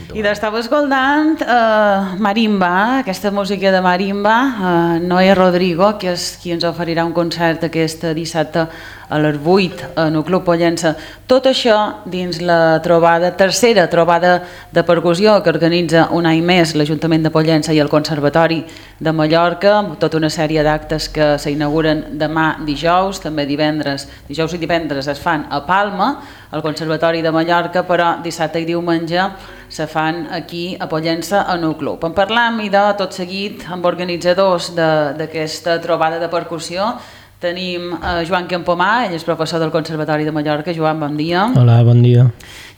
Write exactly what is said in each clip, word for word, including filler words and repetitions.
punto. I d'estava escoltant uh, Marimba, aquesta música de Marimba, uh, Noé Rodrigo, que és qui ens oferirà un concert aquest dissabte a les vuit en el Club Pollença. Tot això dins la trobada, tercera trobada de percussió que organitza un any més l'Ajuntament de Pollença i el Conservatori de Mallorca, tota una sèrie d'actes que s'inauguren demà dijous, també divendres, dijous i divendres es fan a Palma, al Conservatori de Mallorca, però dissabte i diumenge se fan aquí a Pollença en el club. En parlam i de tot seguit amb organitzadors d'aquesta trobada de percussió. Tenim eh, Joan Campomà, ell és professor del Conservatori de Mallorca. Joan, bon dia. Hola, bon dia.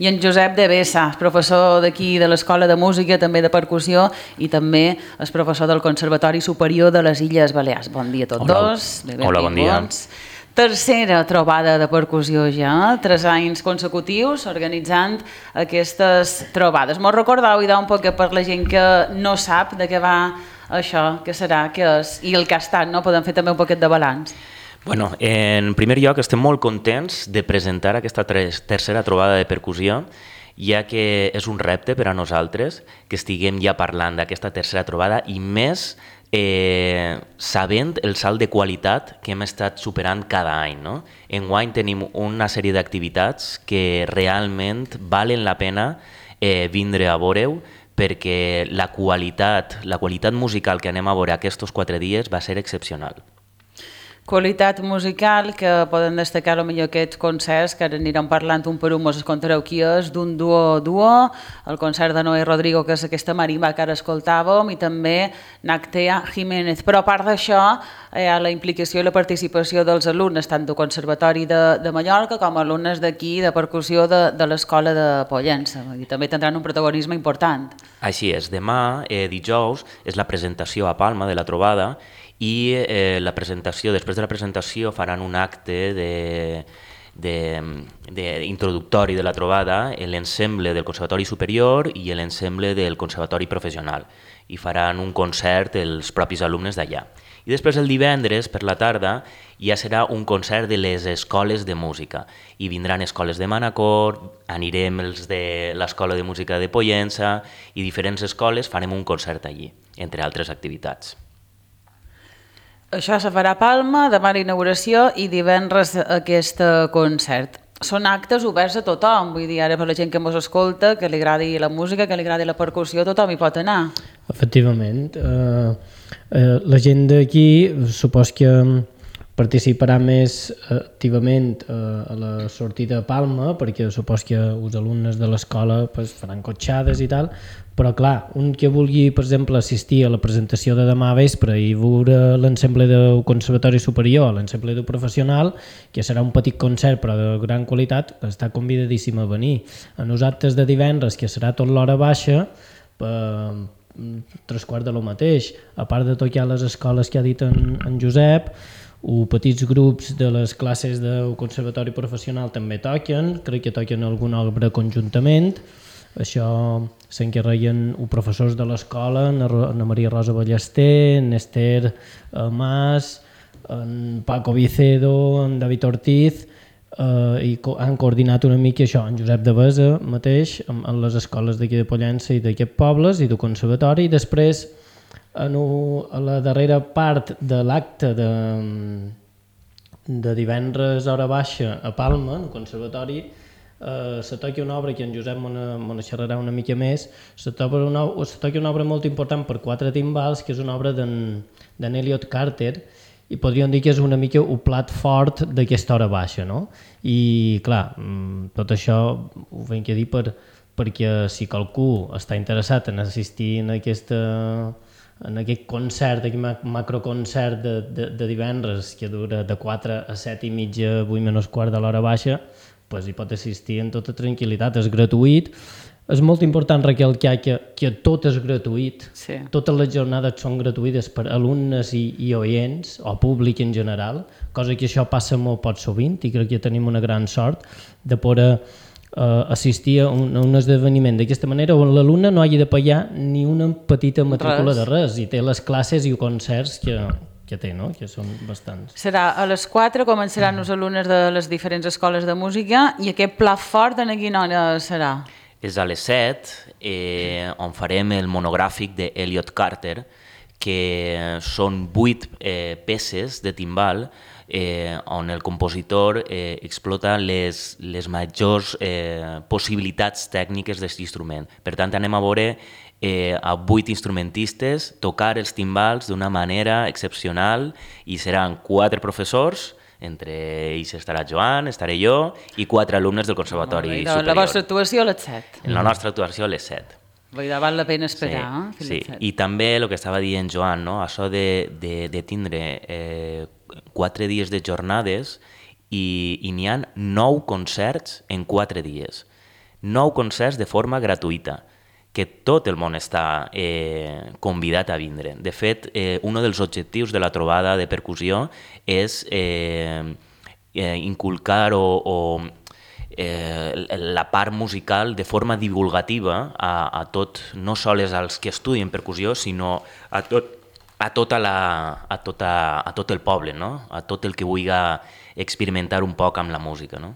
I en Josep de Bessa, professor d'aquí de l'Escola de Música, també de percussió, i també és professor del Conservatori Superior de les Illes Balears. Bon dia a tots Hola. dos. Bé, Hola, bon dia. Tercera trobada de percussió ja, tres anys consecutius organitzant aquestes trobades. M'ho recordeu i un poc per la gent que no sap de què va això, què serà, què és, i el que ha estat, no? Podem fer també un poquet de balanç. Bueno, en primer lloc estem molt contents de presentar aquesta tercera trobada de percussió, ja que és un repte per a nosaltres que estiguem ja parlant d'aquesta tercera trobada i més eh, sabent el salt de qualitat que hem estat superant cada any. No? Enguany tenim una sèrie d'activitats que realment valen la pena eh, vindre a veure-ho, perquè la qualitat, la qualitat musical que anem a veure aquests quatre dies va ser excepcional. Qualitat musical que poden destacar potser aquests concerts que ara anirem parlant un per un, mos contareu qui és, d'un duo duo, el concert de Noé Rodrigo, que és aquesta marimba que ara escoltàvem, i també Nactea Jiménez. Però a part d'això hi ha la implicació i la participació dels alumnes, tant del Conservatori de, de Mallorca com alumnes d'aquí de percussió de, de l'Escola de Pollença. I també tindran un protagonisme important. Així és, demà, eh, dijous, és la presentació a Palma de la trobada, i eh, la presentació, després de la presentació faran un acte de, de, de introductori de la trobada, l'ensemble del Conservatori Superior i l'ensemble del Conservatori Professional, i faran un concert els propis alumnes d'allà. I després el divendres, per la tarda, ja serà un concert de les escoles de música, i vindran escoles de Manacor, anirem els de l'Escola de Música de Pollença, i diferents escoles farem un concert allí, entre altres activitats. Això se farà a Palma, demà l'inauguració i divendres aquest concert. Són actes oberts a tothom, vull dir, ara per la gent que ens escolta, que li agradi la música, que li agradi la percussió, tothom hi pot anar. Efectivament. Eh, eh, la gent d'aquí supos que participarà més activament eh, a la sortida a Palma, perquè supos que els alumnes de l'escola pues, faran cotxades i tal, però clar, un que vulgui, per exemple, assistir a la presentació de demà vespre i veure l'ensemble del Conservatori Superior, l'ensemble del Professional, que serà un petit concert però de gran qualitat, està convidadíssim a venir. A nosaltres de divendres, que serà tot l'hora baixa, per tres quarts de lo mateix, a part de tocar les escoles que ha dit en, en Josep, o petits grups de les classes del Conservatori Professional també toquen, crec que toquen alguna obra conjuntament. Això s'encarreguen els professors de l'escola, en Maria Rosa Ballester, en Esther Mas, en Paco Vicedo, en David Ortiz, eh, i han coordinat una mica això, en Josep de Besa mateix, en les escoles d'aquí de Pollença i d'aquests pobles i del conservatori, i després en a la darrera part de l'acte de, de divendres hora baixa a Palma, en el conservatori, eh, se toca una obra que en Josep me xerrarà una mica més, se toca una, se toca una obra molt important per quatre timbals, que és una obra d'en Elliot Carter, i podríem dir que és una mica el plat fort d'aquesta hora baixa, no? I clar, tot això ho venc a dir per, perquè si qualcú està interessat en assistir en aquesta en aquest concert, aquest macroconcert de, de, de divendres que dura de quatre a set i mitja, vuit menys quart de l'hora baixa, pues hi pot assistir en tota tranquil·litat, és gratuït. És molt important recalcar que, que tot és gratuït, sí. Totes les jornades són gratuïtes per alumnes i, i oients, o públic en general, cosa que això passa molt poc sovint i crec que tenim una gran sort de poder Uh, assistir a un, a un esdeveniment d'aquesta manera on l'alumne no hagi de pagar ni una petita matrícula res. de res i té les classes i concerts que, que té, no? Que són bastants. Serà a les quatre, començaran els alumnes de les diferents escoles de música, i aquest plat fort en quina hora serà? és a les set, eh, on farem el monogràfic d'Elliot Carter, que són vuit eh, peces de timbal eh, on el compositor eh, explota les, les majors eh, possibilitats tècniques d'aquest instrument. Per tant, anem a veure eh, a vuit instrumentistes tocar els timbals d'una manera excepcional i seran quatre professors, entre ells estarà Joan, estaré jo i quatre alumnes del Conservatori la, Superior. La vostra actuació a les set. La nostra actuació a les set. Vull dir, val la pena esperar. Sí, eh, sí. I també el que estava dient Joan, no? Això de, de, de tindre eh, quatre dies de jornades i, i n'hi ha nou concerts en quatre dies. Nou concerts de forma gratuïta, que tot el món està eh, convidat a vindre. De fet, eh, un dels objectius de la trobada de percussió és eh, eh, inculcar o, o eh, la part musical de forma divulgativa a, a tot, no sols als que estudien percussió, sinó a tot, a, tota la, a, tota, a tot el poble, no? A tot el que vulgui experimentar un poc amb la música, no?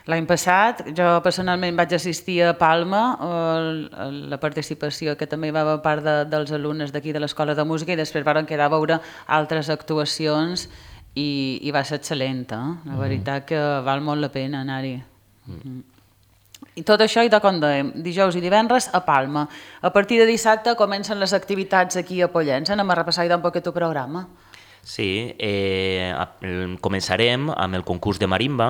L'any passat jo personalment vaig assistir a Palma, a la participació que també hi va haver part de, dels alumnes d'aquí de l'Escola de Música, i després van quedar a veure altres actuacions i, i va ser excel·lent, eh? La veritat que val molt la pena anar-hi. Mm. I tot això, i de com dèiem, dijous i divendres a Palma. A partir de dissabte comencen les activitats aquí a Pollença. Anem a repassar un poquet el programa. Sí, eh, començarem amb el concurs de marimba.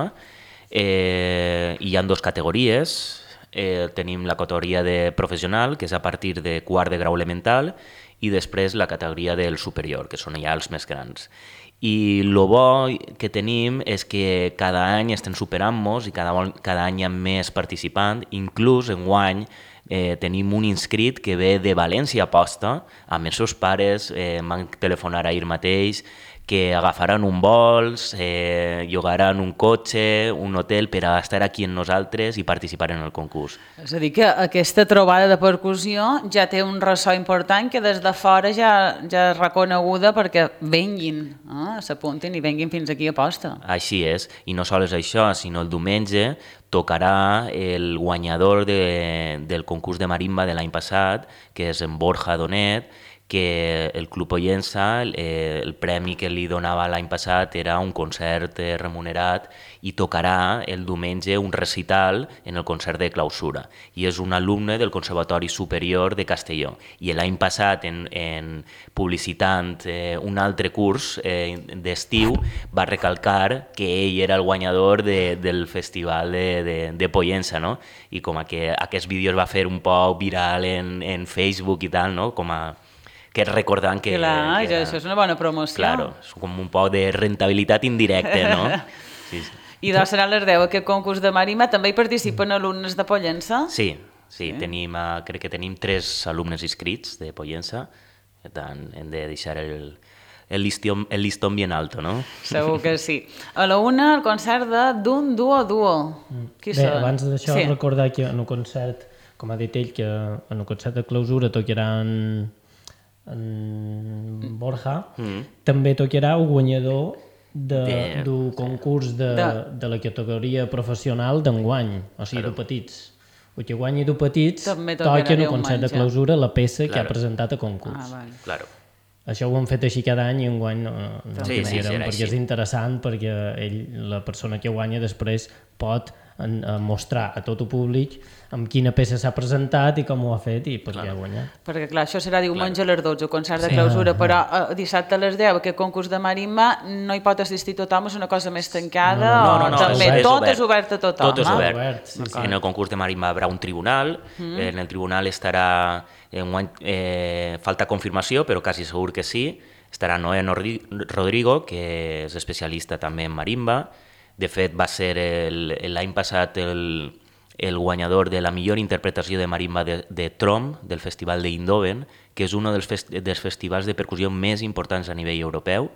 Eh, hi ha dues categories. Eh, tenim la categoria de professional, que és a partir de quart de grau elemental, i després la categoria del superior, que són ja els més grans. I el bo que tenim és que cada any estem superant-nos i cada, cada any hi ha més participants. Inclús enguany eh, tenim un inscrit que ve de València Aposta, amb els seus pares, eh, m'han telefonat ahir mateix, que agafaran un vols, eh, llogaran un cotxe, un hotel per a estar aquí amb nosaltres i participar en el concurs. És a dir, que aquesta trobada de percussió ja té un ressò important que des de fora ja, ja és reconeguda perquè venguin, eh? S'apuntin i venguin fins aquí a posta. Així és, i no sols això, sinó el diumenge tocarà el guanyador de, del concurs de marimba de l'any passat, que és en Borja Donet, que el Club Pollença, eh, el premi que li donava l'any passat era un concert eh, remunerat, i tocarà el diumenge un recital en el concert de clausura. I és un alumne del Conservatori Superior de Castelló. I l'any passat, en, en publicitant eh, un altre curs eh, d'estiu, va recalcar que ell era el guanyador de, del festival de, de, de Pollença, no? I com que aquest vídeo es va fer un poc viral en, en Facebook i tal, no? Com a que recordant que... Clar, que era, això és una bona promoció. Claro, és com un poc de rentabilitat indirecta, no? Sí, sí. I doncs seran les deu, aquest concurs de marimba. També hi participen alumnes de Pollença? Sí, sí, sí. Tenim, uh, crec que tenim tres alumnes inscrits de Pollença, per tant, hem de deixar el, el, listón, el listón bien alto, no? Segur que sí. A la una, el concert de D'un Duo Duo. Qui Bé, són? abans d'això, Sí. recordar que en un concert, com ha dit ell, que en un concert de clausura tocaran en Borja, mm. també tocarà el guanyador de, d'un concurs de, de... de la categoria professional d'enguany, o sigui, claro. De petits. El que guanyi de petits toca en un concert de clausura la peça claro. Que ha presentat a concurs. Ah, vale. Claro. Això ho hem fet així cada any i enguany no, no sí, sí, sí, perquè així. És interessant, perquè ell, la persona que guanya després pot en, a mostrar a tot el públic amb quina peça s'ha presentat i com ho ha fet i per què ha guanyat. Perquè clar, això serà diumenge claro. A les dotze, el concert de clausura, sí. Però uh, dissabte a les deu, aquest concurs de marimba, no hi pot assistir tothom, és una cosa més tancada, no, no, no, no, també és tot obert. És obert a tothom. Tot és obert. obert sí, sí. En el concurs de marimba hi haurà un tribunal, mm. en el tribunal estarà, en un, eh, falta confirmació, però quasi segur que sí, estarà Noé Rodrigo, que és especialista també en marimba. De fet, va ser l'any passat el, el guanyador de la millor interpretació de marimba de, de Trom, del Festival d'Eindhoven, que és un dels, fest, dels festivals de percussió més importants a nivell europeu.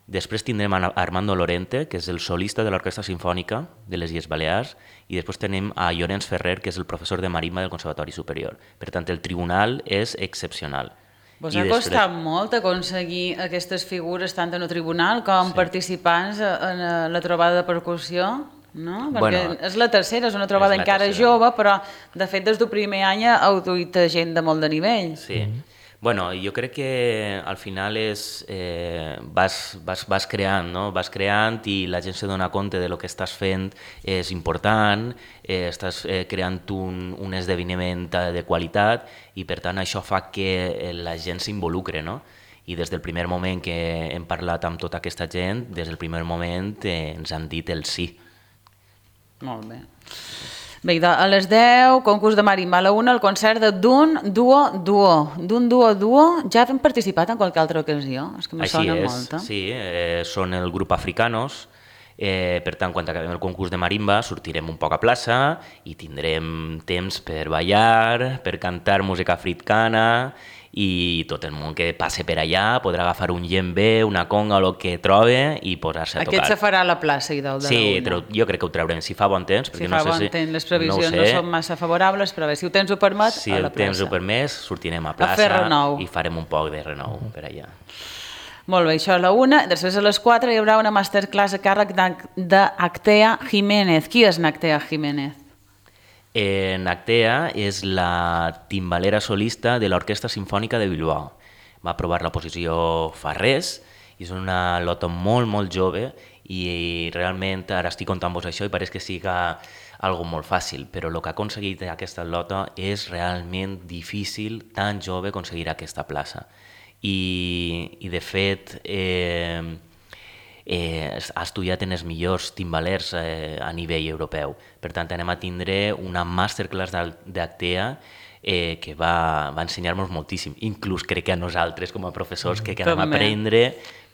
Després tindrem a Armando Lorente, que és el solista de l'Orquestra Simfònica de les Illes Balears, i després tenim a Llorenç Ferrer, que és el professor de marimba del Conservatori Superior. Per tant, el tribunal és excepcional. Vos ha després... costat molt aconseguir aquestes figures tant en el tribunal com sí. Participants en la trobada de percussió? no? Perquè és la tercera, és una trobada encara jove, però de fet des del primer any heu duit gent de molt de nivell. Sí. Bueno, jo crec que al final és, eh, vas, vas, vas creant, no? Vas creant i la gent se dona compte de lo que estàs fent és important, eh, estàs eh, creant un, un esdeveniment de qualitat i per tant això fa que la gent s'involucre, no? I des del primer moment que hem parlat amb tota aquesta gent, des del primer moment eh, ens han dit el sí. Molt bé. Bé, a les deu, concurs de marimba, a la una, el concert de D'un Duo Duo. D'un Duo Duo, ja hem participat en qualque altra ocasió? És que me Així sona és, molt. Eh? Sí, eh, són el grup Africanos, eh, per tant, quan acabem el concurs de marimba sortirem un poc a plaça i tindrem temps per ballar, per cantar música africana i tot el món que passe per allà podrà agafar un djembe, una conga o el que trobe i posar-se a tocar. Aquest se farà a la plaça i del de sí, la una. Jo crec que ho traurem, si fa bon temps. Si fa no bon sé temps, si... les previsions no, no, no són massa favorables, però bé, si el temps ho permet, si a la plaça. Si el temps ho permet, sortirem a plaça a fer renou. I farem un poc de renou uh-huh. per allà. Molt bé, això a la una. Després a les quatre hi haurà una masterclass a càrrec d'Actea Jiménez. Qui és Actea Jiménez? Eh, Actea és la timbalera solista de l'Orquestra Simfònica de Bilbao. Va aprovar la posició fa res i és una lota molt, molt jove i realment ara estic contant-vos això i pareix que siga algo molt fàcil, però el que ha aconseguit aquesta lota és realment difícil, tan jove, aconseguir aquesta plaça. I, i de fet, eh, eh, ha estudiat en els millors timbalers eh, a nivell europeu. Per tant, anem a tindre una masterclass d'Actea Eh, que va, va ensenyar-nos moltíssim, inclús crec que a nosaltres com a professors que, que anem a aprendre,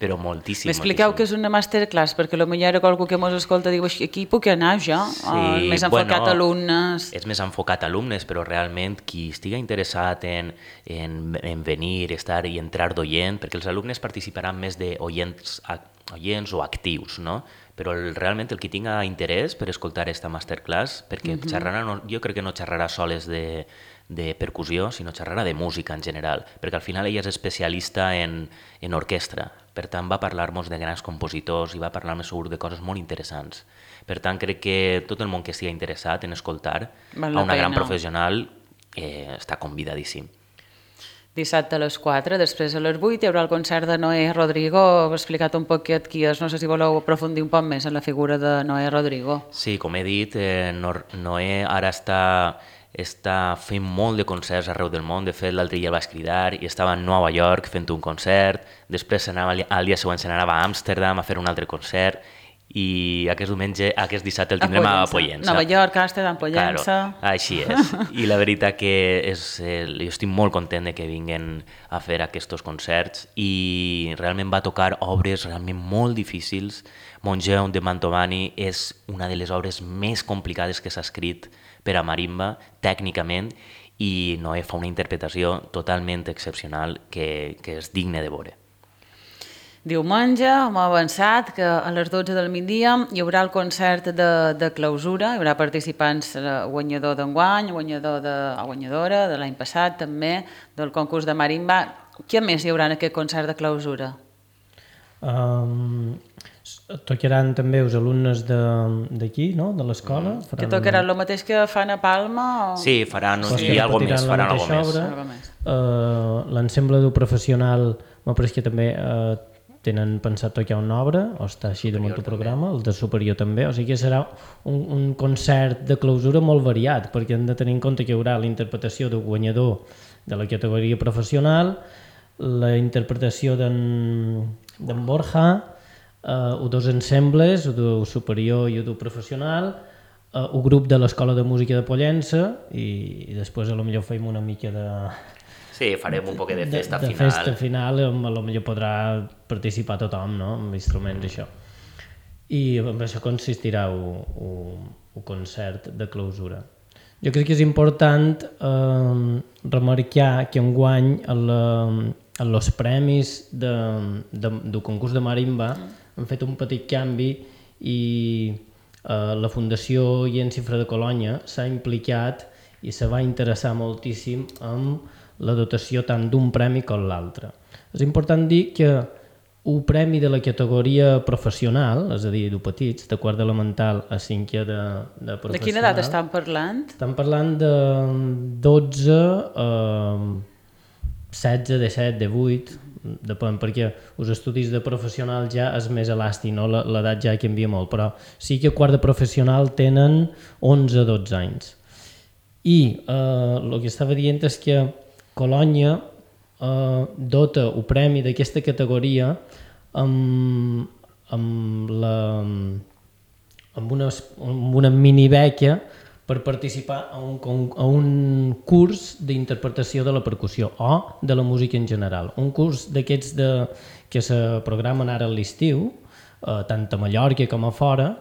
però moltíssim. M'expliqueu que és una masterclass, perquè potser ara qualcú que mos escolta diu aquí puc anar jo, sí, o més enfocat bueno, a alumnes. És més enfocat a alumnes, però realment qui estigui interessat en, en, en venir, estar i entrar d'oient, perquè els alumnes participaran més d'oients oients o actius, no? Però el, realment el que tinga interès per escoltar aquesta masterclass, perquè uh-huh. xerrarà, no, jo crec que no xerrarà soles de, de percussió, sinó xerrarà de música en general, perquè al final ella és especialista en, en orquestra, per tant va parlar-nos de grans compositors i va parlar-nos segur de coses molt interessants. Per tant crec que tot el món que estigui interessat en escoltar Val a una pena. gran professional eh, està convidadíssim. Dissabte a les quatre, després a les vuit hi haurà el concert de Noé Rodrigo. Heu explicat un poquet qui és, no sé si voleu aprofundir un poc més en la figura de Noé Rodrigo. Sí, com he dit, eh, Noé ara està, està fent molt de concerts arreu del món. De fet, l'altre dia el vaig cridar i estava a Nova York fent un concert, després anava, al dia següent se n'anava a Amsterdam a fer un altre concert i aquest diumenge, aquest dissabte el tindrem a Pollença. Nova York, Amsterdam, Pollença... Claro, així és. I la veritat que és, eh, jo estic molt content de que vinguin a fer aquests concerts i realment va tocar obres realment molt difícils. Mongeon de Mantovani és una de les obres més complicades que s'ha escrit per a marimba, tècnicament, i Noé fa una interpretació totalment excepcional que, que és digne de veure. Diumenge hem avançat que a les dotze del migdia hi haurà el concert de, de clausura, hi haurà participants guanyador d'enguany, guanyador de, guanyadora de l'any passat també, del concurs de marimba. Què més hi haurà en aquest concert de clausura? Um, tocaran també els alumnes d'aquí, no? De l'escola. Mm. Que tocaran el mateix que fan a Palma? O... Sí, faran sí. i algo més, faran algo més. més. Uh, L'ensemble professional, m'ha pareix que també... Uh, tenen pensat tocar una obra, o està així damunt el programa, el de superior també, o sigui que serà un, un concert de clausura molt variat, perquè hem de tenir en compte que hi haurà la interpretació del guanyador de la categoria professional, la interpretació d'en Borja, eh, dos ensembles, el del superior i el del professional, eh, un grup de l'Escola de Música de Pollença, i, i després a lo millor fem una mica de... Sí, farem un poc de festa de, de final. De festa final, on potser podrà participar tothom, no?, amb instruments, això. I amb això consistirà un concert de clausura. Jo crec que és important eh, remarcar que enguany en els premis de, de, del concurs de marimba han fet un petit canvi i eh, la Fundació Jens Cifra de Colònia s'ha implicat i se va interessar moltíssim en la dotació tant d'un premi com l'altre. És important dir que un premi de la categoria professional, és a dir, de petits, de quart elemental a cinquè de, de professional. De quina edat estan parlant? Estan parlant de dotze a setze, disset, divuit, depèn, perquè els estudis de professional ja és més elàstic, no? L'edat ja canvia molt, però sí que quart de professional tenen onze a dotze anys. I eh, el que estava dient és que Colònia eh, dota el premi d'aquesta categoria amb, amb, la, amb, una, amb una mini beca per participar a un, a un curs d'interpretació de la percussió o de la música en general. Un curs d'aquests de, que se programen ara a l'estiu, eh, tant a Mallorca com a fora,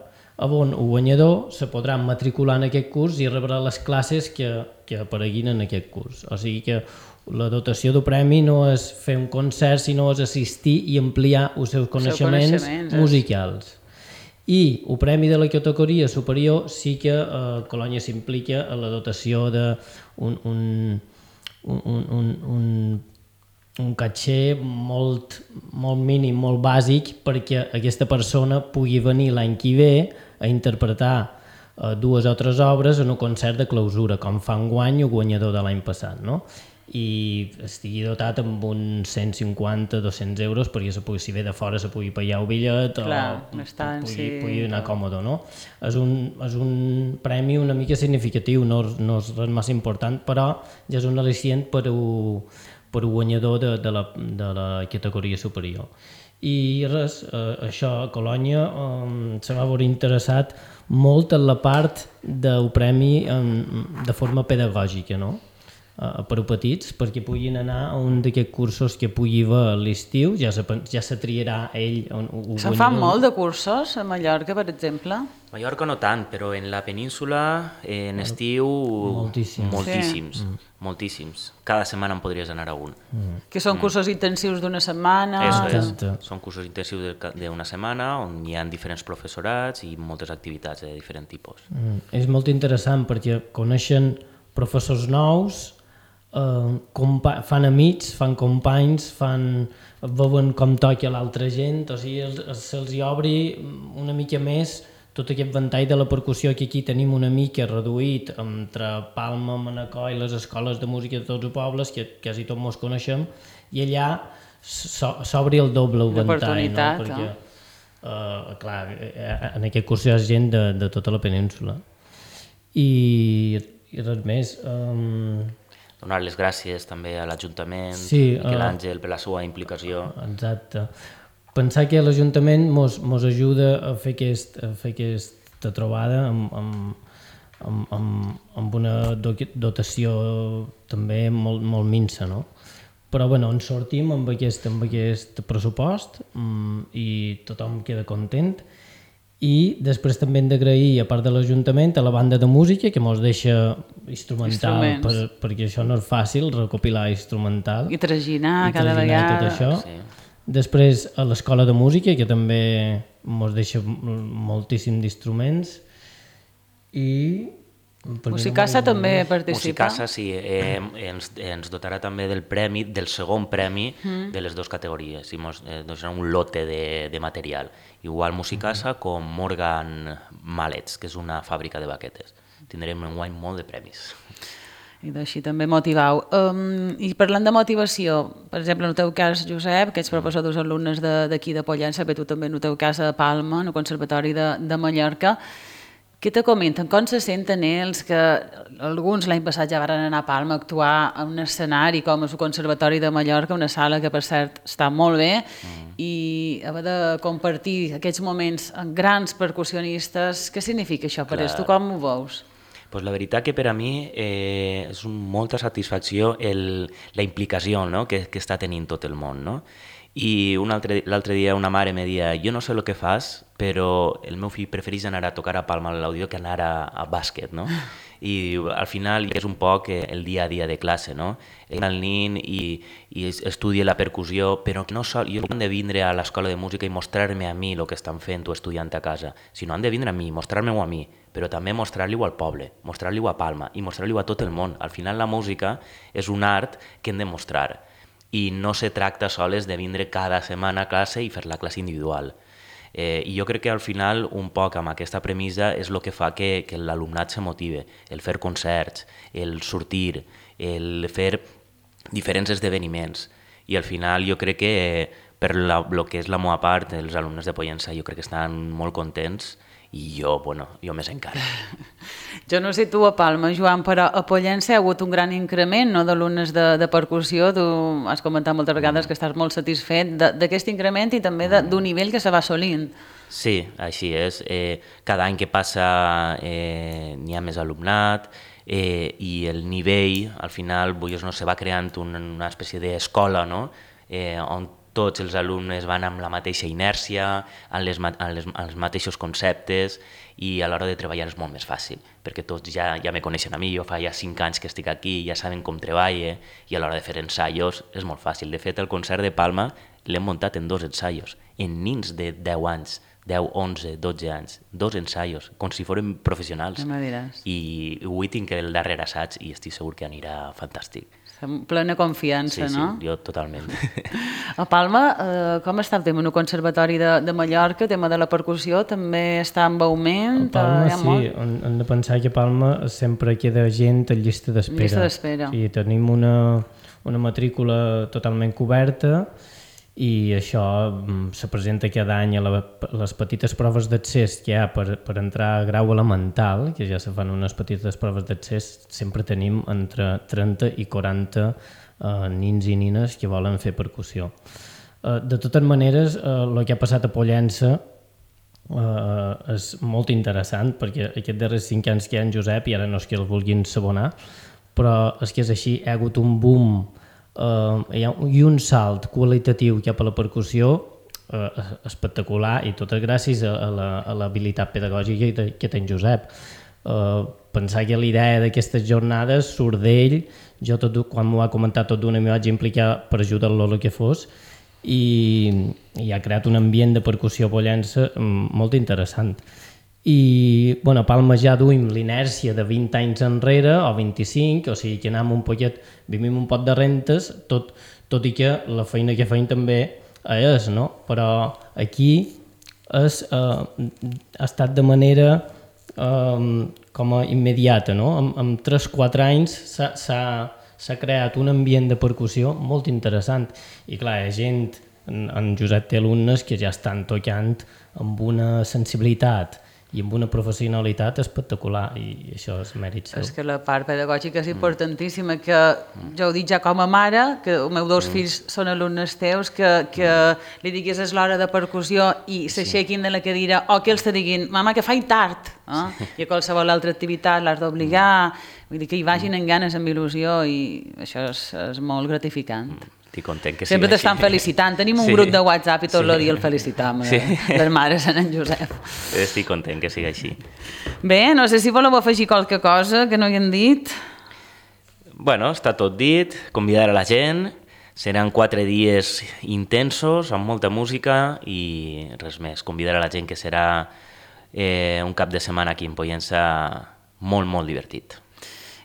on el guanyador se podrà matricular en aquest curs i rebrà les classes que, que apareguin en aquest curs. O sigui que la dotació del premi no és fer un concert, sinó és assistir i ampliar els seus coneixements, coneixements musicals. I el premi de la categoria superior sí que eh, Colònia s'implica a la dotació d'un un, un, un, un, un, un caché molt, molt mínim, molt bàsic, perquè aquesta persona pugui venir l'any que ve a interpretar eh, dues o tres obres en un concert de clausura, com fa enguany el guanyador de l'any passat, no? I estigui dotat amb uns cent cinquanta a dos-cents euros perquè se pugui, si ve de fora se pugui pagar el bitllet o estan, pugui, sí, pugui anar còmode, no? És un, és un premi una mica significatiu, no, no és res massa important, però ja és un al·licient per un, per un guanyador de, de, la, de la categoria superior. I res, eh, això a Colònia eh, se va veure interessat molt en la part del premi eh, de forma pedagògica, no? Uh, per a petits, perquè puguin anar a un d'aquests cursos que pugui haver a l'estiu, ja se, ja se triarà ell. Se'n fan molt de cursos a Mallorca, per exemple? A Mallorca no tant, però en la península, en estiu, moltíssims. Moltíssims, sí. mm. moltíssims. Cada setmana en podries anar a un. Mm. Que són cursos mm. intensius d'una setmana? Eso és. Són cursos intensius d'una setmana on hi ha diferents professorats i moltes activitats de diferent tipus. Mm. És molt interessant perquè coneixen professors nous, Uh, fan amics, fan companys, fan, veuen com toca l'altra gent, o sigui, se'ls obri una mica més tot aquest ventall de la percussió que aquí tenim una mica reduït entre Palma, Manacor i les escoles de música de tots els pobles, que quasi tots mos coneixem, i allà s'obri el doble el ventall, no? Perquè, uh, clar, en aquest curs hi ha gent de, de tota la península. I, i res més... Um... Donar les gràcies també a l'Ajuntament, sí, Miquel Àngel, per la seva implicació. Exacte. Pensar que l'Ajuntament mos, mos ajuda a fer, aquest, a fer aquesta trobada amb, amb, amb, amb, amb una dotació també molt, molt minsa, no? Però bueno, ens sortim amb aquest, amb aquest pressupost um, i tothom queda content. I després també hem d'agrair, a part de l'Ajuntament, a la banda de música, que mos deixa instrumental, per, perquè això no és fàcil, recopilar instrumental. I traginar I cada vegada. Tot això. Sí. Després a l'Escola de Música, que també mos deixa moltíssim d'instruments. I... Musicasa no també participa? Musicasa sí, eh, ens, ens dotarà també del premi, del segon premi mm. de les dues categories, i ens eh, donarà un lote de, de material. Igual Musicasa mm. com Morgan Mallets, que és una fàbrica de baquetes. Tindrem enguany molt de premis. I d'així també motivau. Um, I parlant de motivació, per exemple, en el teu cas, Josep, que ets professor dels alumnes d'aquí de, de Pollença, però tu també en el teu cas a Palma, en el Conservatori de, de Mallorca, què te comenten? Com se senten ells que alguns l'any passat ja van anar a Palma a actuar en un escenari com el Conservatori de Mallorca, una sala que per cert està molt bé, mm. i haver de compartir aquests moments amb grans percussionistes, què significa això per ells? Tu com ho veus? Pues la veritat que per a mi eh, és un, molta satisfacció el, la implicació, no? que, que està tenint tot el món. No? I l'altre dia una mare me deia, jo no sé el que fas, però el meu fill prefereix anar a tocar a Palma a l'audio que anar a, a bàsquet, no? I al final és un poc el dia a dia de classe, no? El nin i, i estudia la percussió, però que no sol, jo no han de vindre a l'escola de música i mostrar-me a mi el que estan fent o estudiant a casa, sinó han de vindre a mi, mostrar-me-ho a mi, però també mostrar-li-ho al poble, mostrar-li-ho a Palma i mostrar-li-ho a tot el món. Al final la música és un art que hem de mostrar. i no se tracta soles de vindre cada setmana a classe i fer la classe individual. Eh, I jo crec que al final, un poc amb aquesta premissa, és el que fa que, que l'alumnat se motive, el fer concerts, el sortir, el fer diferents esdeveniments. I al final jo crec que per la, el que és la meva part, els alumnes de Pollença jo crec que estan molt contents i jo, bueno, jo més encara. Jo no sé tu a Palma, Joan, però a Pollença hi ha hagut un gran increment, no?, d'alumnes de, de percussió. Tu has comentat moltes vegades que estàs molt satisfet d'aquest increment i també d'un nivell que se va assolint. Sí, així és. Eh, cada any que passa eh, n'hi ha més alumnat eh, i el nivell, al final, no, se va creant una, una espècie d'escola, no?, eh, on tots els alumnes van amb la mateixa inèrcia, amb, les, amb, les, amb els mateixos conceptes i a l'hora de treballar és molt més fàcil, perquè tots ja, ja me coneixen a mi, jo fa ja cinc anys que estic aquí, ja saben com treballe i a l'hora de fer ensaios és molt fàcil. De fet, el concert de Palma l'hem muntat en dos ensaios, en nins de deu anys, deu, onze, dotze anys, dos ensaios, com si fórem professionals. Ja me diràs. I avui tinc el darrer assaig i estic segur que anirà fantàstic. Amb plena confiança, sí, no? Sí, jo totalment. A Palma, eh, com està el tema? En el Conservatori de, de Mallorca, el tema de la percussió, també està en augment? A Palma, sí, hem, hem de pensar que a Palma sempre queda gent a llista d'espera. Llista d'espera. Sí, tenim una, una matrícula totalment coberta i això se presenta cada any a, la, a les petites proves d'accés que hi ha per, per entrar a grau elemental, que ja se fan unes petites proves d'accés, sempre tenim entre trenta i quaranta eh, nins i nines que volen fer percussió. Eh, de totes maneres, eh, el que ha passat a Pollença eh, és molt interessant, perquè aquests darrers cinc anys que hi ha en Josep, i ara no és que el vulguin sabonar, però és que és així, hi ha hagut un boom Uh, hi ha un, i un salt qualitatiu cap a la percussió uh, espectacular, i tot gràcies a, a l'habilitat la, pedagògica que, que té en Josep. Uh, pensar que l'idea d'aquestes jornades surt d'ell, jo tot, quan m'ho va comentar tot d'una m'hi vaig implicar per ajudar-lo el que fos, i, i ha creat un ambient de percussió a Pollença molt interessant. I bueno, a Palma ja duim l'inèrcia de vint anys enrere o vint-i-cinc, o sigui que anem un poquet, vivim un pot de rentes, tot, tot i que la feina que feim també és, no? Però aquí és, eh, ha estat de manera eh, com a immediata, no? En, en tres o quatre anys s'ha creat un ambient de percussió molt interessant i clar, hi ha gent, en, en Josep té alumnes que ja estan tocant amb una sensibilitat i amb una professionalitat espectacular, i això és mèrit seu. És que la part pedagògica és importantíssima, que jo ho dic ja com a mare, que els meus dos fills són alumnes teus, que, que li diguis és l'hora de percussió i s'aixequin de la cadira, o que els te diguin, mama, que faig tard, eh? I a qualsevol altra activitat l'has d'obligar, vull dir que hi vagin amb ganes, amb il·lusió, i això és, és molt gratificant. Estic content que sigui sempre t'estan felicitant. Tenim un sí. grup de WhatsApp i tot sí. el dia el felicitam, sí. les mares en en Josep. Estic content que sigui així. Bé, no sé si voleu afegir qualque cosa que no hi hem dit. Bueno, està tot dit, convidar a la gent, seran quatre dies intensos, amb molta música i res més. Convidar a la gent que serà eh, un cap de setmana aquí en Pollença molt, molt divertit.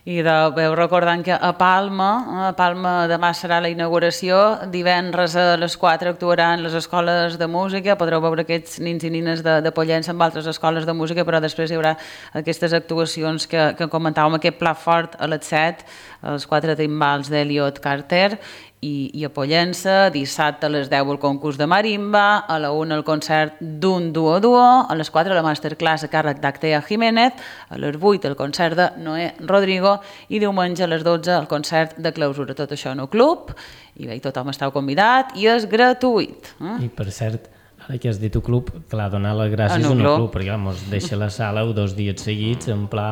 I de, veu recordant que a Palma, a Palma demà serà la inauguració, divendres a les quatre actuaran les escoles de música, podreu veure aquests nins i nines de, de Pollença amb altres escoles de música, però després hi haurà aquestes actuacions que, que comentàvem, aquest pla fort a les set, els quatre timbals d'Elliot Carter, i, i a Pollença, dissabte a les deu el concurs de marimba, a la una el concert d'un duo-duo, a les quatre la masterclass a càrrec d'Actea Jiménez, a les vuit el concert de Noé Rodrigo i diumenge a les dotze el concert de clausura. Tot això en el club, i bé, tothom esteu convidat i és gratuït. Eh? I per cert, ara que has dit el club, clar, donar les gràcies al club, club perquè ens deixa la sala dos dies seguits en pla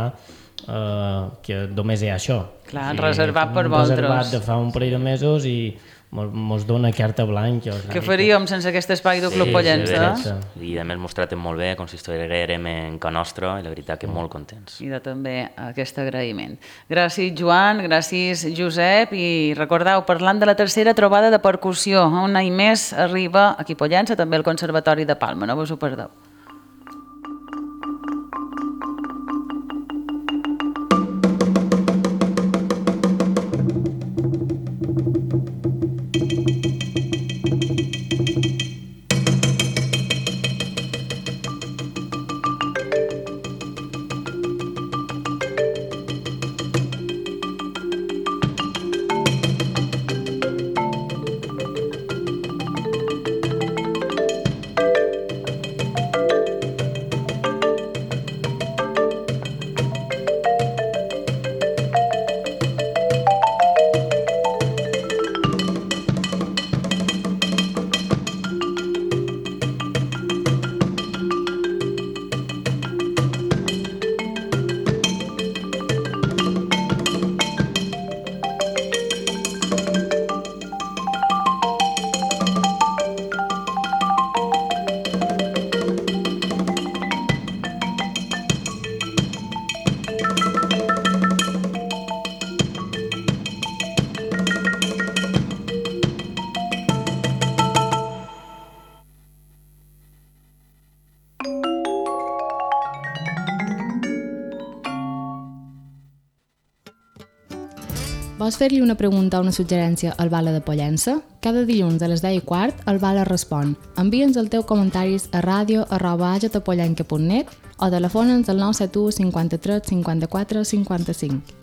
Uh, que només hi ha això. Clar, o sigui, reservat per vosaltres. Reservat de fa un parell de mesos i mos dona carta blanca. Què faríem sense aquest espai del Club sí, Pollença? Sí, i a més mos traten molt bé, com si estiguérem en ca nostra, i la veritat que molt contents. I de també aquest agraïment. Gràcies, Joan, gràcies, Josep, i recordeu, parlant de la tercera trobada de percussió, un any més arriba aquí a Pollença, també al Conservatori de Palma, no vos ho perdeu. Vols fer-li una pregunta o una suggerència al Bala de Pollença? Cada dilluns a les deu i quart el Bala respon. Envia'ns els teus comentaris a ràdio arroba agetapollenca punt net o telefona'ns al nou set u cinquanta-tres cinquanta-quatre cinquanta-cinc.